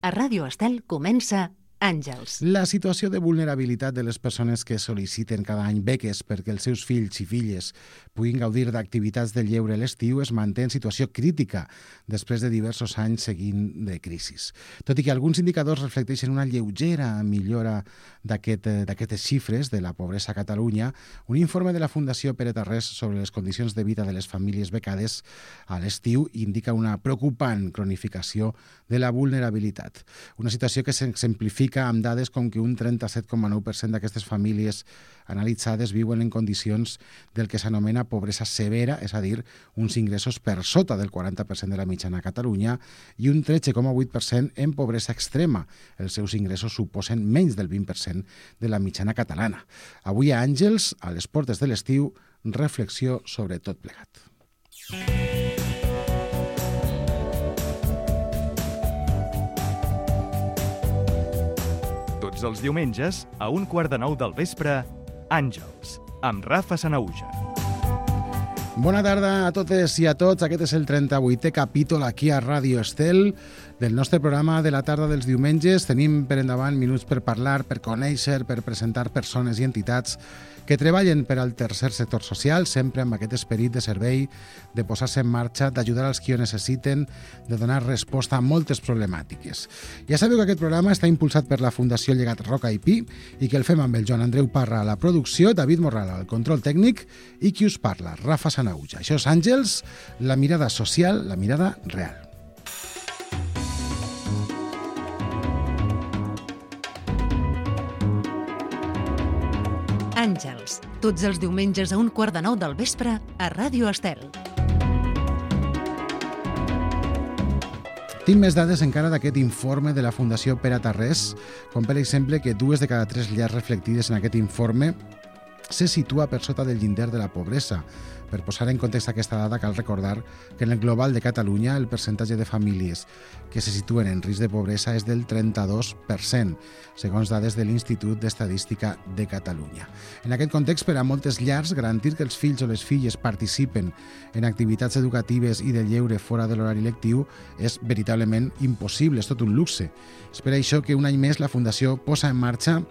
A Ràdio Estel comença Àngels. La situació de vulnerabilitat de les persones que sol·liciten cada any beques perquè els seus fills i filles puguin gaudir d'activitats de lleure a l'estiu es manté en situació crítica després de diversos anys seguint de crisis. Tot i que alguns indicadors reflecteixen una lleugera millora d'aquestes xifres de la pobresa a Catalunya, un informe de la Fundació Pere Tarrés sobre les condicions de vida de les famílies becades a l'estiu indica una preocupant cronificació de la vulnerabilitat. Una situació que s'exemplifica amb dades com que un 37,9% d'aquestes famílies analitzades viuen en condicions del que s'anomena pobresa severa, és a dir, uns ingressos per sota del 40% de la mitjana a Catalunya, i un 13,8% en pobresa extrema. Els seus ingressos suposen menys del 20% de la mitjana catalana. Avui a Àngels, a les portes de l'estiu, reflexió sobre tot plegat. Tots els diumenges, a 1:15 del vespre, Àngels, amb Rafa Sanahuja. Bona tarda a totes i a tots. Aquest és el 38è capítol aquí a Ràdio Estel del nostre programa de la tarda dels diumenges. Tenim per endavant minuts per parlar, per conèixer, per presentar persones i entitats que treballen per al tercer sector social, sempre amb aquest esperit de servei, de posar-se en marxa, d'ajudar als qui ho necessiten, de donar resposta a moltes problemàtiques. Ja sabeu que aquest programa està impulsat per la Fundació Llegat Roca i Pi i que el fem amb el Joan Andreu Parra a la producció, David Morral al control tècnic i qui us parla, Rafa Sanahuja. Això és Àngels, la mirada social, la mirada real. Àngels, tots els diumenges a 1:15 del vespre a Ràdio Estel. Tinc més dades encara d'aquest informe de la Fundació Pere Tarrés, com per exemple que 2 de cada 3 llars reflectides en aquest informe se situa per sota del llindar de la pobresa. Per posar en context aquesta dada, cal recordar que en el global de Catalunya el percentatge de famílies que se situen en risc de pobresa és del 32%, segons dades de l'Institut d'Estadística de Catalunya. En aquest context, per a moltes llars, garantir que els fills o les filles participen en activitats educatives i de lleure fora de l'horari lectiu és veritablement impossible, és tot un luxe. És per això que un any més la Fundació posa en marxa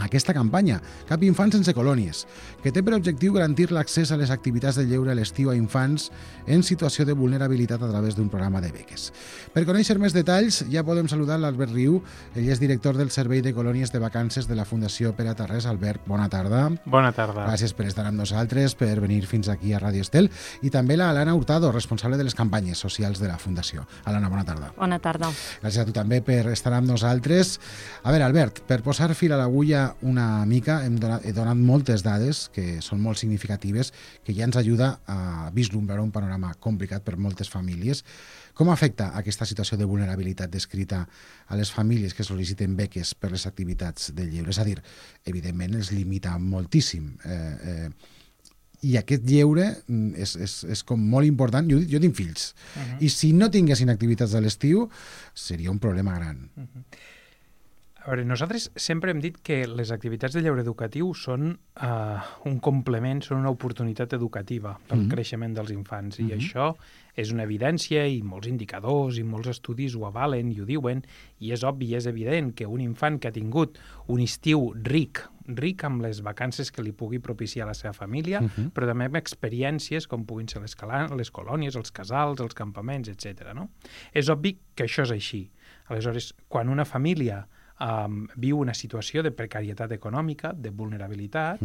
aquesta campanya, Cap infant sense colònies, que té per objectiu garantir l'accés a les activitats de lleure a l'estiu a infants en situació de vulnerabilitat a través d'un programa de beques. Per conèixer més detalls, ja podem saludar l'Albert Riu, ell és director del Servei de Colònies de Vacances de la Fundació Pere Tarrés. Albert, bona tarda. Bona tarda. Gràcies per estar amb nosaltres, per venir fins aquí a Ràdio Estel, i també la Alana Hurtado, responsable de les campanyes socials de la Fundació. Alana, bona tarda. Bona tarda. Gràcies a tu també per estar amb nosaltres. A veure, Albert, per posar fil a l'agulla una mica, he donat moltes dades que són molt significatives, que ja ens ajuda a vislumbrar un panorama complicat per moltes famílies. Com afecta aquesta situació de vulnerabilitat descrita a les famílies que sol·liciten beques per les activitats de lleure? És a dir, evidentment els limita moltíssim. I aquest lleure és com molt important. Jo tinc fills. I si no tinguessin activitats a l'estiu, seria un problema gran. A veure, nosaltres sempre hem dit que les activitats de lleure educatiu són un complement, són una oportunitat educativa pel creixement dels infants. I això és una evidència i molts indicadors i molts estudis ho avalen i ho diuen, i és obvi i és evident que un infant que ha tingut un estiu ric amb les vacances que li pugui propiciar la seva família, però també amb experiències com puguin ser les colònies, els casals, els campaments, etc. No? És obvi que això és així. Aleshores, quan una família viu una situació de precarietat econòmica, de vulnerabilitat,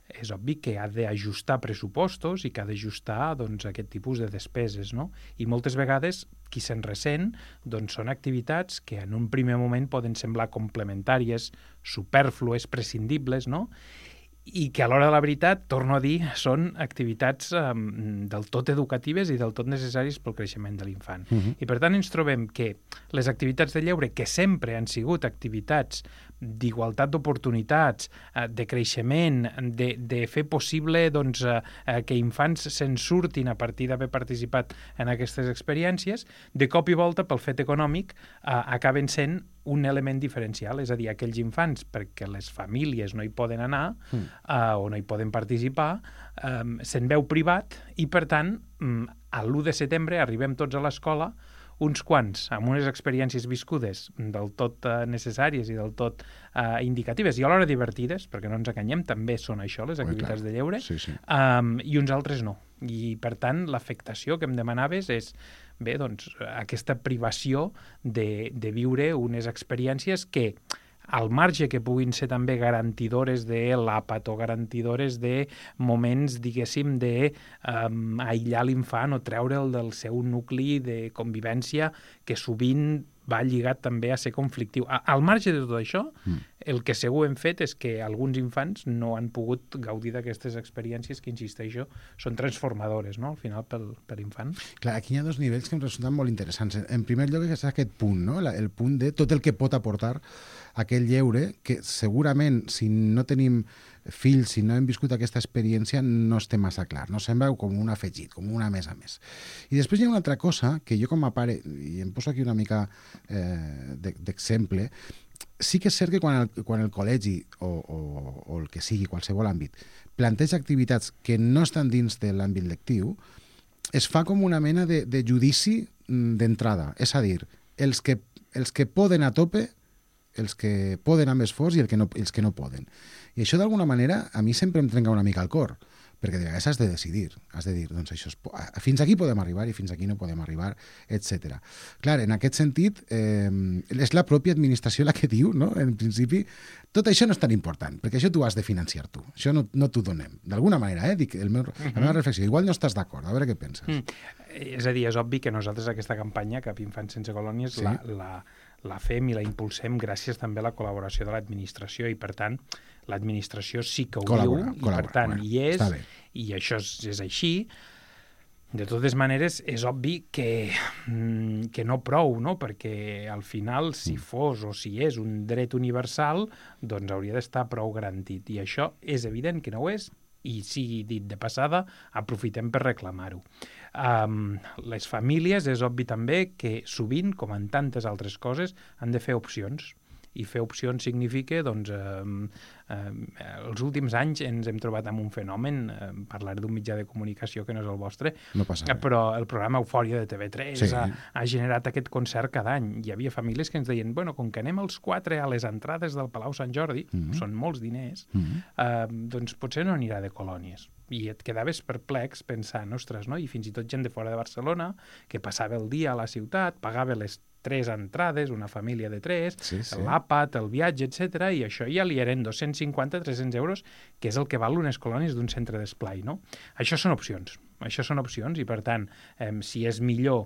és obvi que ha d'ajustar pressupostos i que ha d'ajustar aquest tipus de despeses, no? I moltes vegades qui se'n ressent són activitats que en un primer moment poden semblar complementàries, supèrflues, prescindibles, no? I que a l'hora de la veritat, torno a dir, són activitats del tot educatives i del tot necessàries pel creixement de l'infant. I per tant ens trobem que les activitats de lleure, que sempre han sigut activitats d'igualtat d'oportunitats, de creixement, de fer possible que infants se'n surtin a partir d'haver participat en aquestes experiències, de cop i volta, pel fet econòmic, acaben sent un element diferencial, és a dir, aquells infants, perquè les famílies no hi poden anar o no hi poden participar, se'n veu privat i, per tant, a l'1 de setembre arribem tots a l'escola uns quants amb unes experiències viscudes del tot necessàries i del tot indicatives i alhora divertides, perquè no ens enganyem, també són això, les activitats de lleure, i uns altres no. I, per tant, l'afectació que em demanaves és bé, doncs, aquesta privació de viure unes experiències que, al marge que puguin ser també garantidores de l'àpat o garantidores de moments, diguéssim, d'aïllar l'infant o treure'l del seu nucli de convivència que sovint va lligat també a ser conflictiu. Al marge de tot això, el que segur hem fet és que alguns infants no han pogut gaudir d'aquestes experiències que, insisteixo, són transformadores, no?, al final, per l'infant. Clar, aquí hi ha dos nivells que em resulten molt interessants. En primer lloc, és aquest punt, no?, el punt de tot el que pot aportar aquell lleure, que segurament, si no tenim fills, si no hem viscut aquesta experiència, no esté massa clar. No sembla com un afegit, com una més a més. I després hi ha una altra cosa que jo com a pare, i em poso aquí una mica d'exemple, sí que és cert que quan el col·legi o el que sigui, qualsevol àmbit, planteja activitats que no estan dins de l'àmbit lectiu, es fa com una mena de judici d'entrada. És a dir, els que poden a tope, els que poden amb esforç i els que no poden. I això, d'alguna manera, a mi sempre em trenca una mica el cor, perquè de vegades has de decidir, doncs això fins aquí podem arribar i fins aquí no podem arribar, etc. Clar, en aquest sentit, és la pròpia administració la que diu, no?, en principi, tot això no és tan important, perquè això tu has de financiar tu, això no t'ho donem. D'alguna manera, dic, la meva reflexió, igual no estàs d'acord, a veure què penses. És a dir, és obvi que nosaltres aquesta campanya, Cap Infant Sense Colònies, sí, la fem i la impulsem gràcies també a la col·laboració de l'administració i, per tant, l'administració sí que ho diu i, per tant, hi és, i això és així. De totes maneres, és obvi que no prou, no?, perquè al final, si fos o si és un dret universal, doncs hauria d'estar prou garantit. I això és evident que no ho és, i sigui dit de passada, aprofitem per reclamar-ho. Les famílies, és obvi també que sovint, com en tantes altres coses, han de fer opcions. I fer opcions significa, doncs, els últims anys ens hem trobat amb un fenomen, parlaré d'un mitjà de comunicació que no és el vostre, no passa res, però el programa Eufòria de TV3 ha generat aquest concert cada any. Hi havia famílies que ens deien, bueno, com que anem els 4 a les entrades del Palau Sant Jordi, són molts diners, doncs potser no anirà de colònies. I et quedaves perplex pensant, ostres, no? I fins i tot gent de fora de Barcelona que passava el dia a la ciutat, pagava les 3 entrades, una família de 3, l'àpat, el viatge, etc. I això ja li eren 250-300 euros, que és el que val unes colònies d'un centre d'esplai, no? Això són opcions. Això són opcions i, per tant, si és millor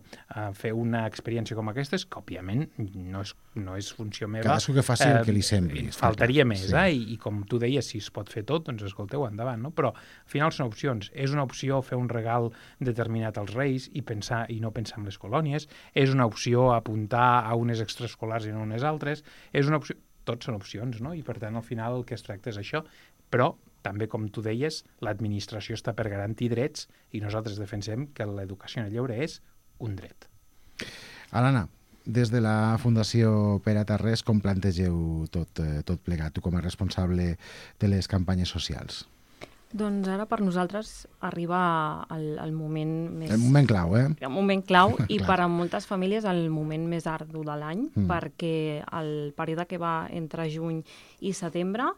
fer una experiència com aquesta, que òbviament no és funció meva. Cadascú que faci el que li sembli. Faltaria més, i com tu deies, si es pot fer tot, doncs escolteu, endavant, no? Però al final són opcions. És una opció fer un regal determinat als Reis i no pensar en les colònies. És una opció apuntar a unes extraescolars i no unes altres. És una opció... Tots són opcions, no? I, per tant, al final el que es tracta és això. Però també, com tu deies, l'administració està per garantir drets i nosaltres defensem que l'educació en el lleure és un dret. Alana, des de la Fundació Pere Tarrés, com plantegeu tot plegat, tu com a responsable de les campanyes socials? Doncs ara per nosaltres arriba el moment més... El moment clau, El moment clau i per a moltes famílies el moment més ardu de l'any, perquè el període que va entre juny i setembre,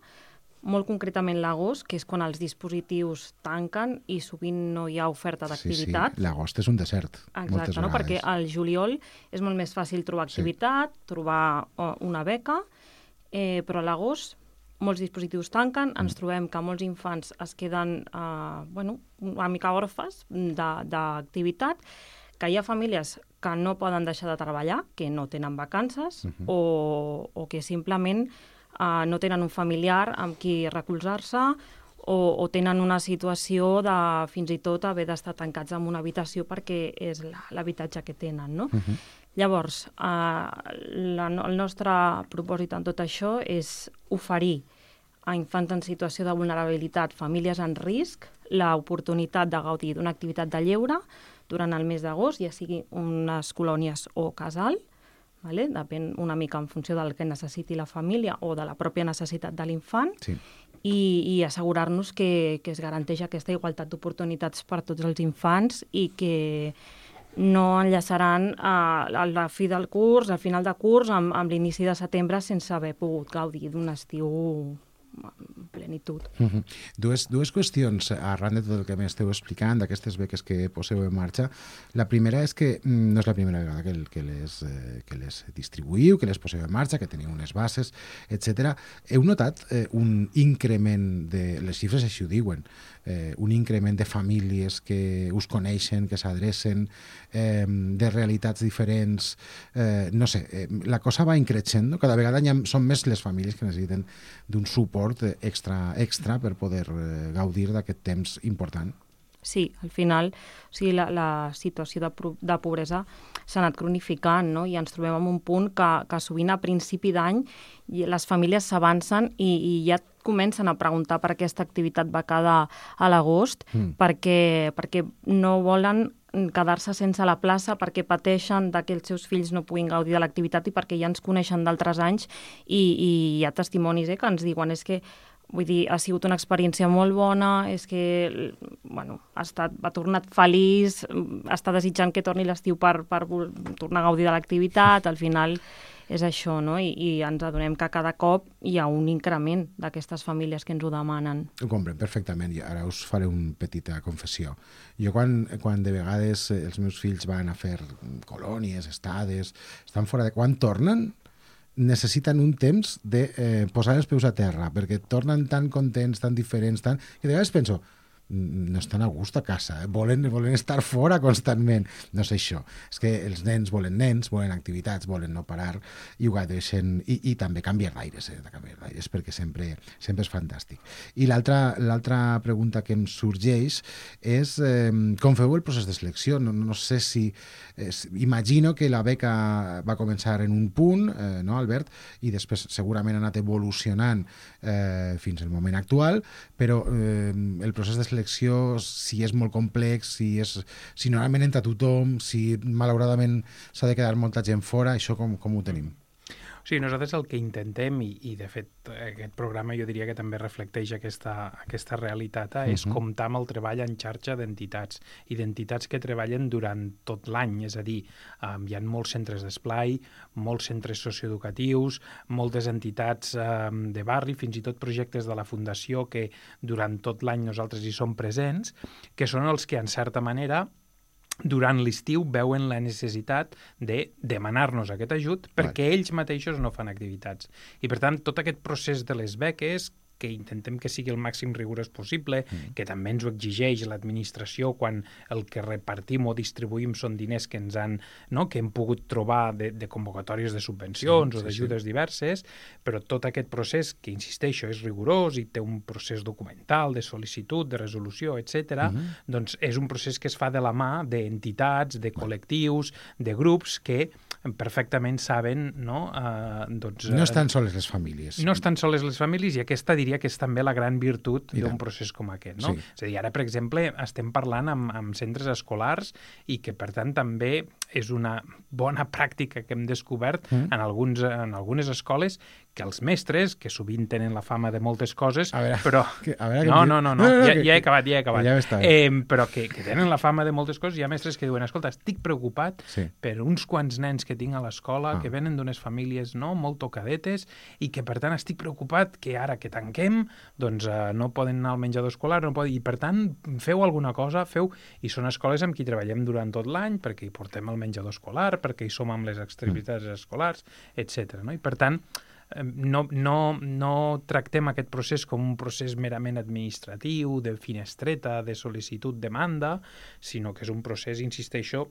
molt concretament l'agost, que és quan els dispositius tanquen i sovint no hi ha oferta d'activitat. Sí, l'agost és un desert. Exacte, no? Perquè al juliol és molt més fàcil trobar activitat, trobar una beca, però a l'agost molts dispositius tanquen, ens trobem que molts infants es queden una mica orfes d'activitat, que hi ha famílies que no poden deixar de treballar, que no tenen vacances, o que simplement no tenen un familiar amb qui recolzar-se o tenen una situació de fins i tot haver d'estar tancats en una habitació perquè és l'habitatge que tenen, no? Llavors, el nostre propòsit en tot això és oferir a infants en situació de vulnerabilitat, famílies en risc, l'oportunitat de gaudir d'una activitat de lleure durant el mes d'agost, ja sigui unes colònies o casal, depèn una mica en funció del que necessiti la família o de la pròpia necessitat de l'infant, i assegurar-nos que es garanteix aquesta igualtat d'oportunitats per tots els infants i que no enllaçaran a la fi del curs, al final de curs, amb l'inici de setembre, sense haver pogut gaudir d'un estiu en plenitud. Dues qüestions arran de tot el que m'esteu explicant d'aquestes beques que poseu en marxa. La primera és que no és la primera vegada que les distribuïu, que les poseu en marxa, que teniu unes bases, etc. Heu notat un increment de... Les xifres així ho diuen, un increment de famílies que us coneixen, que s'adrecen, de realitats diferents, no sé, la cosa va increixent, cada vegada són més les famílies que necessiten d'un suport extra per poder gaudir d'aquest temps important. Sí, al final, o sigui, la situació de pobresa s'ha anat cronificant, no? I ens trobem en un punt que sovint a principi d'any les famílies s'avancen i ja comencen a preguntar per aquesta activitat becada a l'agost, perquè no volen quedar-se sense la plaça, perquè pateixen que els seus fills no puguin gaudir de l'activitat i perquè ja ens coneixen d'altres anys i hi ha testimonis que ens diuen és que vull dir, ha sigut una experiència molt bona, és que, bueno, ha tornat feliç, està desitjant que torni l'estiu per tornar a gaudir de l'activitat, al final és això, no? I ens adonem que cada cop hi ha un increment d'aquestes famílies que ens ho demanen. Ho compren perfectament, i ara us faré una petita confessió. Jo quan de vegades els meus fills van a fer colònies, estades, estan fora de... Quan tornen, necessiten un temps de posar els peus a terra, perquè tornen tan contents, tan diferents, que de vegades penso, no estan a gust a casa, volen estar fora constantment. No és això, és que els nens, volen activitats, volen no parar, i ho gaudeixen, i també canviar d'aires, perquè sempre és fantàstic. I l'altra pregunta que em sorgeix és com feu el procés de selecció? No sé si... Imagino que la beca va començar en un punt, no, Albert? I després segurament ha anat evolucionant fins al moment actual, però el procés de selecció, si és molt complex, si normalment entra tothom, si malauradament s'ha de quedar molta gent fora, això com ho tenim? Sí, nosaltres el que intentem, i de fet aquest programa jo diria que també reflecteix aquesta realitat, és comptar amb el treball en xarxa d'entitats que treballen durant tot l'any, és a dir, hi ha molts centres d'esplai, molts centres socioeducatius, moltes entitats de barri, fins i tot projectes de la Fundació que durant tot l'any nosaltres hi som presents, que són els que en certa manera durant l'estiu veuen la necessitat de demanar-nos aquest ajut perquè ells mateixos no fan activitats. I, per tant, tot aquest procés de les beques, que intentem que sigui el màxim rigorós possible, que també ens ho exigeix l'administració quan el que repartim o distribuïm són diners que ens han, no, que hem pogut trobar de convocatòries de subvencions o d'ajudes diverses, però tot aquest procés, que insisteixo, és rigorós i té un procés documental de sol·licitud, de resolució, etc., doncs és un procés que es fa de la mà d'entitats, de col·lectius, de grups que perfectament saben, no? No estan soles les famílies. No estan soles les famílies, i aquesta diria que és també la gran virtut d'un procés com aquest, no? És a dir, ara, per exemple, estem parlant amb centres escolars i que, per tant, també és una bona pràctica que hem descobert en algunes escoles, que els mestres, que sovint tenen la fama de moltes coses, però... Ja he acabat. Però que tenen la fama de moltes coses, hi ha mestres que diuen, escolta, estic preocupat per uns quants nens que tinc a l'escola, que venen d'unes famílies molt tocadetes, i que, per tant, estic preocupat que ara que tanquem, doncs no poden anar al menjador escolar, i, per tant, feu alguna cosa, i són escoles amb qui treballem durant tot l'any, perquè hi portem el menjador escolar, perquè hi som amb les activitats escolars, etc. I, per tant, no tractem aquest procés com un procés merament administratiu, de finestreta, de sol·licitud-demanda, sinó que és un procés, insisteixo,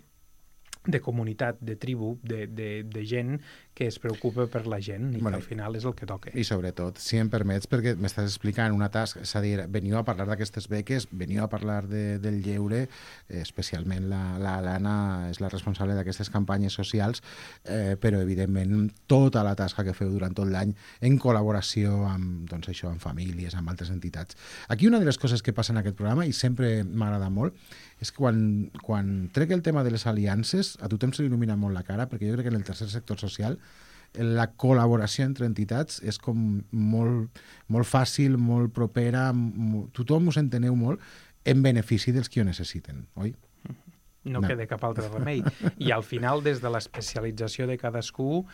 de comunitat, de tribu, de gent que es preocupa per la gent i que al final és el que toca. I sobretot, si em permets, perquè m'estàs explicant una tasca, és a dir, veniu a parlar d'aquestes beques, veniu a parlar del lleure, especialment l'Anna és la responsable d'aquestes campanyes socials, però evidentment tota la tasca que feu durant tot l'any en col·laboració amb, doncs això, amb famílies, amb altres entitats. Aquí una de les coses que passa en aquest programa, i sempre m'agrada molt, és que quan trec el tema de les aliances, a tothom se li il·lumina molt la cara, perquè jo crec que en el tercer sector social la col·laboració entre entitats és com molt fàcil, molt propera, tothom us enteneu molt en benefici dels que ho necessiten, oi? no queda cap altre remei. I al final, des de l'especialització de cadascú,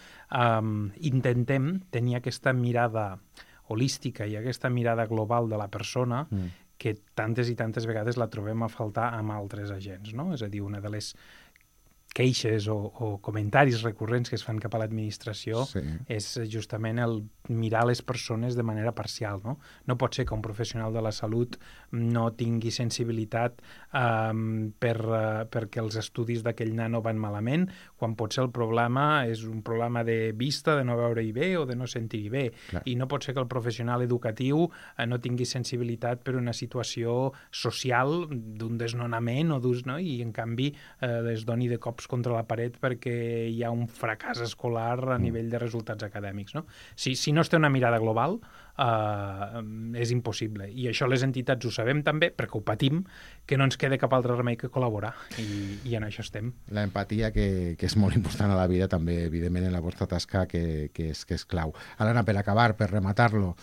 intentem tenir aquesta mirada holística i aquesta mirada global de la persona que tantes i tantes vegades la trobem a faltar amb altres agents, no? És a dir, una de les queixes o comentaris recurrents que es fan cap a l'administració és justament el mirar les persones de manera parcial, no? No pot ser que un professional de la salut no tingui sensibilitat perquè els estudis d'aquell nano van malament, quan potser el problema és un problema de vista, de no veure-hi bé o de no sentir-hi bé. Clar. I no pot ser que el professional educatiu no tingui sensibilitat per una situació social d'un desnonament o d'ús, no? I en canvi es doni de cops contra la paret perquè hi ha un fracàs escolar a nivell de resultats acadèmics, no? Si no es té una mirada global, és impossible. I això les entitats ho sabem també, perquè ho patim, que no ens queda cap altre remei que col·laborar. I en això estem. La empatia, que és molt important a la vida, també, evidentment, en la vostra tasca, que és clau. Alana, per acabar, per rematar-lo,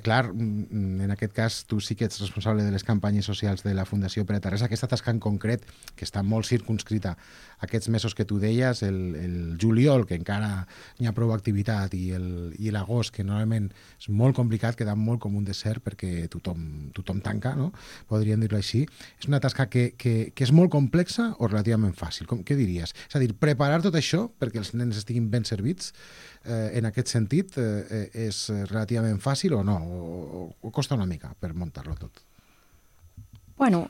clar, en aquest cas, tu sí que ets responsable de les campanyes socials de la Fundació Pere Tarrés. Aquesta tasca en concret, que està molt circunscrita aquests mesos que tu deies, el juliol, que encara n'hi ha prou activitat, i l'agost, que normalment és molt complicat, queda molt com un desert perquè tothom tanca, no? Podríem dir-ho així. És una tasca que és molt complexa o relativament fàcil? Què diries? És a dir, preparar tot això perquè els nens estiguin ben servits, en aquest sentit, és relativament fàcil o no? O costa una mica per muntar-lo tot? Bueno,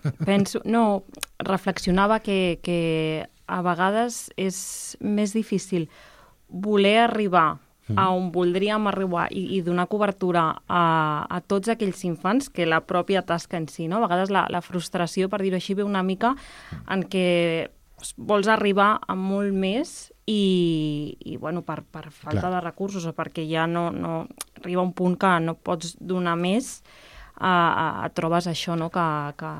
reflexionava que a vegades és més difícil voler arribar a on voldríem arribar i donar cobertura a tots aquells infants que la pròpia tasca en si, no? A vegades la frustració, per dir-ho així, ve una mica en què vols arribar a molt més i bueno, per falta de recursos o perquè ja no arriba un punt que no pots donar més, et trobes això, no? Que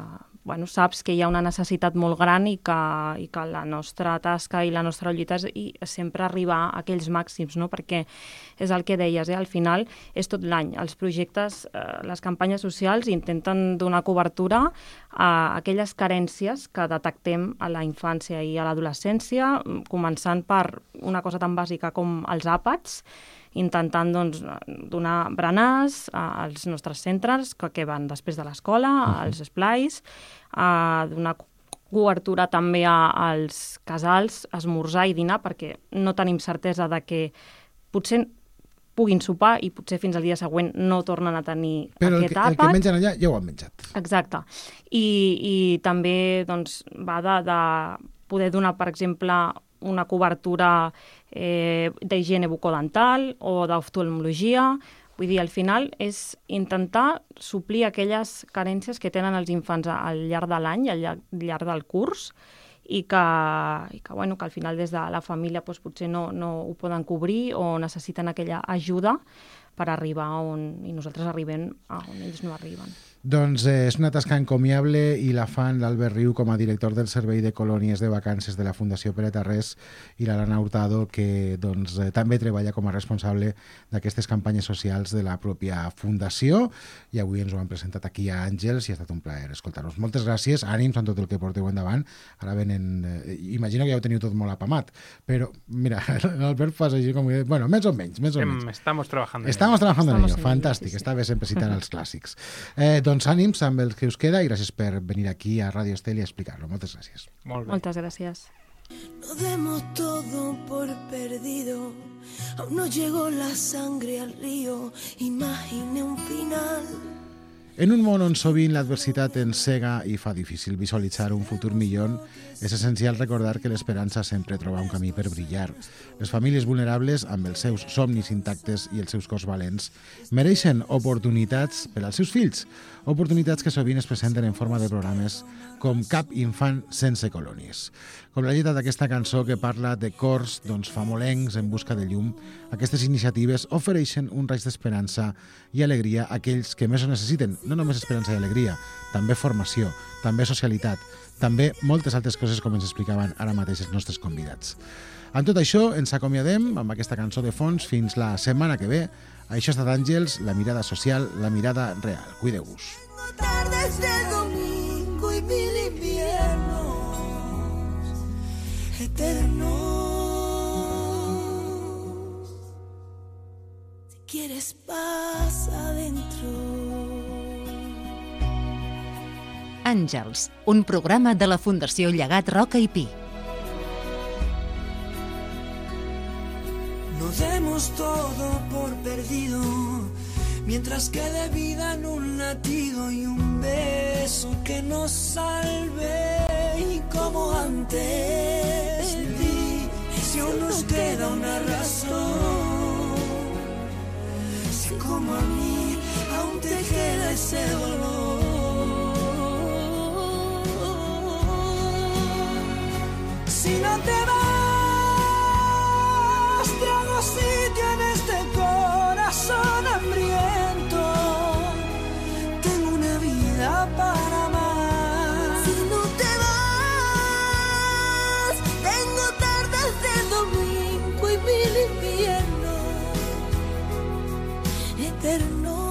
bueno, saps que hi ha una necessitat molt gran i que la nostra tasca i la nostra lluita és sempre arribar a aquells màxims, no? Perquè és el que deies, al final és tot l'any. Els projectes, les campanyes socials intenten donar cobertura a aquelles carències que detectem a la infància i a l'adolescència, començant per una cosa tan bàsica com els àpats, intentant donar berenars als nostres centres que van després de l'escola, als esplais, donar cobertura també als casals, esmorzar i dinar, perquè no tenim certesa de que potser puguin sopar i potser fins al dia següent no tornen a tenir aquest àpat. Però el que mengen allà ja ho han menjat. Exacte. I també va de poder donar, per exemple, una cobertura d'higiene bucodental o d'oftalmologia. Vull dir, al final és intentar suplir aquelles carències que tenen els infants al llarg de l'any, al llarg del curs, i que al final des de la família potser no ho poden cobrir o necessiten aquella ajuda per arribar i nosaltres arribem a on ells no arriben. Doncs és una tasca encomiable i la fan l'Albert Riu com a director del Servei de Colònies de Vacances de la Fundació Pere Tarrés i l'Alana Hurtado, que també treballa com a responsable d'aquestes campanyes socials de la pròpia Fundació, i avui ens ho han presentat aquí a Àngels i ha estat un plaer escoltar-nos. Moltes gràcies, ànims amb tot el que porteu endavant. Ara venen... Imagino que ja ho teniu tot molt apamat, però mira, l'Albert fa així com... Bueno, més o menys. Estamos trabajando en ello. Fantàstic, està bé sempre citant els clàssics. Doncs ànims amb el que us queda i gràcies per venir aquí a Radio Estel i explicar-lo. Moltes gràcies. Moltes gràcies. No demos todo por perdido, aún no llegó la sangre al río, imagine un final. En un món on sovint l'adversitat ens cega i fa difícil visualitzar un futur millor, és essencial recordar que l'esperança sempre troba un camí per brillar. Les famílies vulnerables, amb els seus somnis intactes i els seus cors valents, mereixen oportunitats per als seus fills, oportunitats que sovint es presenten en forma de programes com Cap infant sense colònies. Com la lletra d'aquesta cançó que parla de cors famolencs en busca de llum, aquestes iniciatives ofereixen un raig d'esperança i alegria a aquells que més ho necessiten. No només esperança i alegria, també formació, també socialitat, també moltes altres coses com ens explicaven ara mateix els nostres convidats. Amb tot això ens acomiadem amb aquesta cançó de fons fins la setmana que ve. Això ha estat Àngels, la mirada social, la mirada real. Cuideu-vos. Tardes de domingo y mil inviernos. eternos. Si quieres pasa adentro. Àngels, un programa de la Fundació Llegat Roca i Pi. No demos todo por perdido, mientras quede vida en un latido y un beso que nos salve. Y como antes de ti, si aún nos queda una razón, si como a mí aún te queda ese dolor. Si no te vas, te hago sitio en este corazón hambriento. Tengo una vida para amar. Si no te vas, tengo tardes de domingo y mil inviernos eternos.